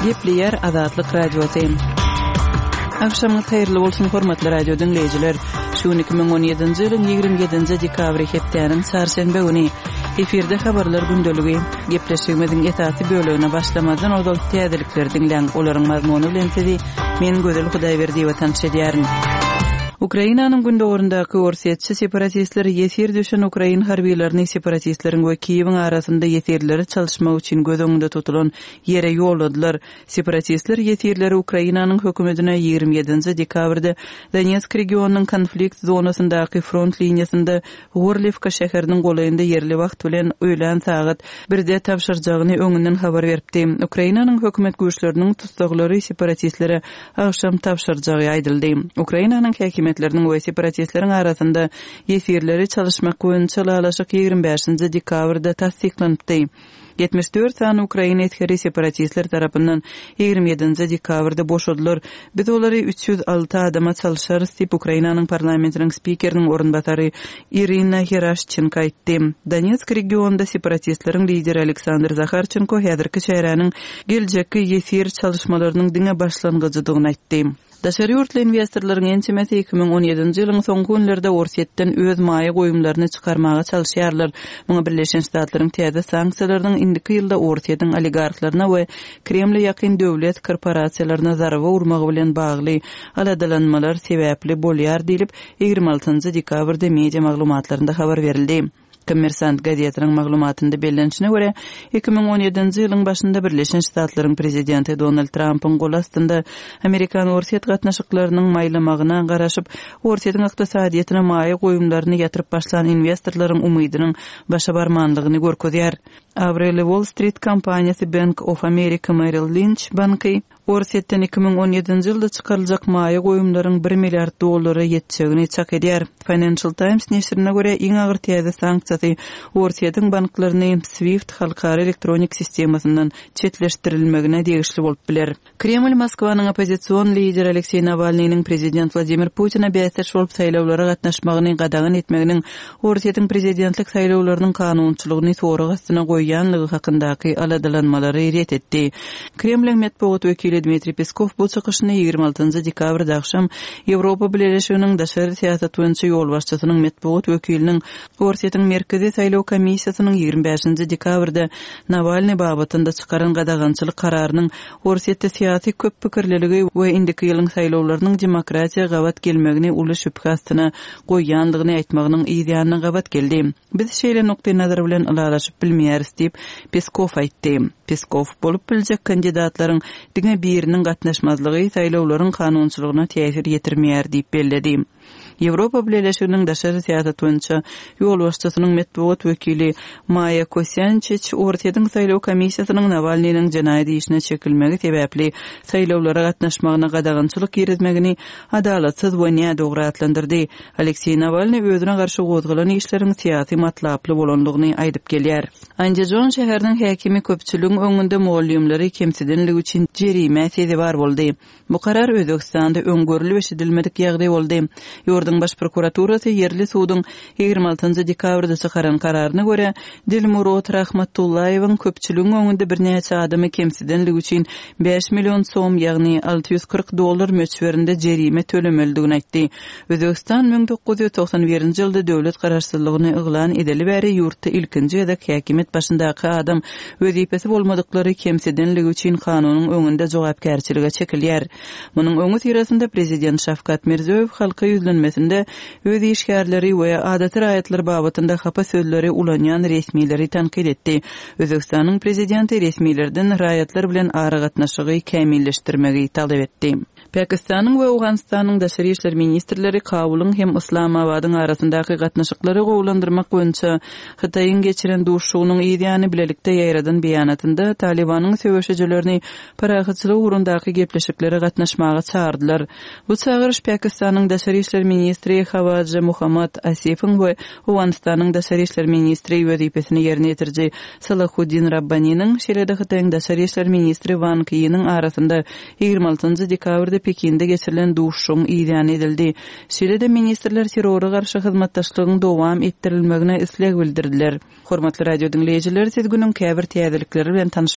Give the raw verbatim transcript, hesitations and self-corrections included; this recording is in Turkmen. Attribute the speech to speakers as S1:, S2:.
S1: Gepleýär Azatlyk Radiosy. Agşamyňyz haýyrly bolsun, hormatly radio diňleýjiler. Şu gün iki müň on ýedinji ýylyň ýigrimi ýedinji dekabry hepdäniň çarşenbe güni. Efirde habarlar gündeligi. Gepleşigimiziň esasy bölegine başlamazdan ozal täzelikleri diňläň. Olaryň mazmuny bilen sizi men Gözel Hudaýberdiýewa tanyş edýärin. Ukrainanyň gündogaryndaky orsýetçi separatistler ýesir düşen ukrain harbylaryny separatistleriň we Kiýewiň arasynda ýesirleri çalyşmak üçin göz öňünde tutulan ýere ýolladylar. Separatistler ýesirleri Ukrainanyň hökümetine ýigrimi ýedinji dekabrda Donetsk regionynyň konflikt zonasyndaky front liniýasynda Gorliwka şäheriniň golaýynda ýerli wagt bilen öýlän sagat birde tabşyrjagyny öňünden habar beripdi. Ukrainanyň hökümet güýçleriniň tussaglary separatistlere agşam tabşyrjagy aýdyldy. Ukrainanyň häkimiýetleriniň we separatistleriň arasynda ýesirleri çalyşmak boýunça ylalaşyk ýigrimi bäşinji dekabrda tassyklanypdy. Ýetmiş dört sany ukrain esgeri separatistler tarapyndan ýigrimi ýedinji dekabrda boşadylar. Biz olary üç ýüz alty adama çalşarys diýip, Ukrainanyň parlamentiniň spikeriniň orunbasary Irina Heraşçenko aýtdy. Donetsk regionynda separatistleriň lideri Aleksandr Zaharçenko häzirki çäräniň geljekki ýesir çalyşmalarynyň diňe başlangyjydygyny aýtdy. Daşary ýurtly investorlaryň ençemesi iki müň on ýedinji ýylyň soňky günlerde Orsýetden öz maýa goýumlaryny çykarmaga çalyşýarlar. Muňa Birleşen Ştatlaryň täze sanksiýalarynyň indiki ýylda Orsýetiň oligarhlaryna we Kremle ýakyn döwlet korporasiýalaryna zarba urmagy bilen bagly aladalanmalar sebäpli bolýar diýlip, ýigrimi altynjy dekabrda media maglumatlarynda habar berildi. Kommersant gazetiniň maglumatynda bellenişine görä, iki müň on ýedinji ýylyň başynda Birleşen Ştatlaryň prezidenti Donald Trampyň gol astynda Amerikan-Orsýet gatnaşyklarynyň maýlamagyna garaşyp, Orsýetiň ykdysadyýetine maýa goýumlaryny ýatyryp başlan investorlaryň umydynyň başa barmanlygyny görkezýär. Abraýly Wall Street kompaniýasy Bank of America Merrill Lynch banky Orsýetden iki müň on ýedinji ýylda çykaryljak maýa goýumlaryň bir milliard dollara ýetjegini çak edýär. Financial Times neşirine görä, iň agyr täze sanksiýasy Orsýetiň banklaryny SWIFT halkara elektronik sistemasyndan çetleşdirilmegine degişli bolup biler. Kreml Moskwanyň oppozision lideri Alekseý Nawalnynyň prezident Wladimir Putine bäsdeş bolup saýlawlara gatnaşmagyny gadagan etmeginiň Orsýetiň prezidentlik saýlawlarynyň kanunçylygyny sorag astyna goýýanlygy hakyndaky aladalanmalary ret etdi. Kremliň metbugat wekili Dmitriý Peskow bu çykyşyny ýigrimi altynjy dekabrda agşam Ýewropa Bileleşiginiň daşary syýasat boýunça ýolbaşçysynyň metbugat wekiliniň Orsýetiň Merkezi saýlaw komissiýasynyň ýigrimi bäşinji dekabrda Nawalny babatynda çykaran gadagançylyk kararynyň Orsýetde syýasy köp pikirliligi we indiki ýylyň saýlawlarynyň demokratiýa gabat gelmegini uly şübhe astyna goýýanlygyny aýtmagynyň yz ýanyna gabat geldi. Biz şeýle nukdaý nazar bilen ylalaşyp bilmeýäris diýip, Peskow aýtdy. Peskow bolup biljek kandidatlaryň diňe biriniň gatnaşmazlygy saýlawlaryň kanunçylygyna täsir ýetirmeýär diýip belledi. Ýewropa Bileleşiginiň daşary syýasat boýunça ýolbaşçysynyň metbugat wekili Maýa Kosýançiç Orsýetiň saýlaw komissiýasynyň Nawalnynyň jenaýat işine çekilmegi sebäpli saýlawlara gatnaşmagyna gadagançylyk girizmegini adalatsyz we nädogry atlandyrdy. Alekseý Nawalny özüne garşy gozgalan işleriň syýasy matlaply bolanlygyny aýdyp gelýär. Andijon şäheriniň häkimi köpçüligiň öňünde mugallymlary kemsidenligi üçin jerimä sezewar boldy. Bu karar Özbegistanda öň görülip eşidilmedik ýagdaý boldy. Ýurduň baş prokuraturasy ýerli suduň ýigrimi altynjy dekabrda çykaran kararyna görä, Dilmurod Rahmatullaýewiň köpçüligiň öňünde birnäçe adamy kemsidenligi üçin bäş million som, ýagny alty ýüz kyrk dollar möçberinde jerime tölemelidigini aýtdy. Özbegistan müň dokuz ýüz togsan birinji ýylda döwlet garaşsyzlygyny yglan edeli bäri ýurtda ilkinji gezek häkimiýet başyndaky adam wezipesi bolmadyklary kemsidenligi üçin kanunyň öňünde jogapkärçilige çekilýär. Munuň öňi syrasynda prezident Şawkat Mirziýoýew halka ýüzlenmesinde öz işgärleri we adaty raýatlar babatynda hapa sözleri ulanýan resmileri tankyt etdi. Özbegistanyň prezidenti resmilerden raýatlar bilen aragatnaşygy kämilleşdirmegi talap etdi. Pakistanyň we Owganystanyň daşary işler ministrleri Kabulyň hem Islamabadyň arasyndaky gatnaşyklary gowulandyrmak boýunça Hytaýyň geçiren duşuşygynyň yz ýany bilelikde ýaýradan beýanatynda Talibanyň söweşijilerini parahatçylyk ugrundaky gepleşiklere gatnaşmaga çağırdylar. Bu çagyryş Pakistanyň daşary işler ministri Hawaja Muhammad Asifiň we Owganystanyň daşary işler ministri wezipesini ýerine ýetiriji Salahuddin Rabbaniniň, şeýle-de Hytaýyň daşary işler ministri Wang Yiniň arasynda ýigrimi altynjy dekabrda Pekinde geçirilen duşuşygyň yz ýany edildi. Şeýle-de ministrler terrora garşy hyzmatdaşlygyň dowam etdirilmegine isleg bildirdiler. Hormatly radio diňleýjiler, siz günüň käbir täzelikleri bilen tanyş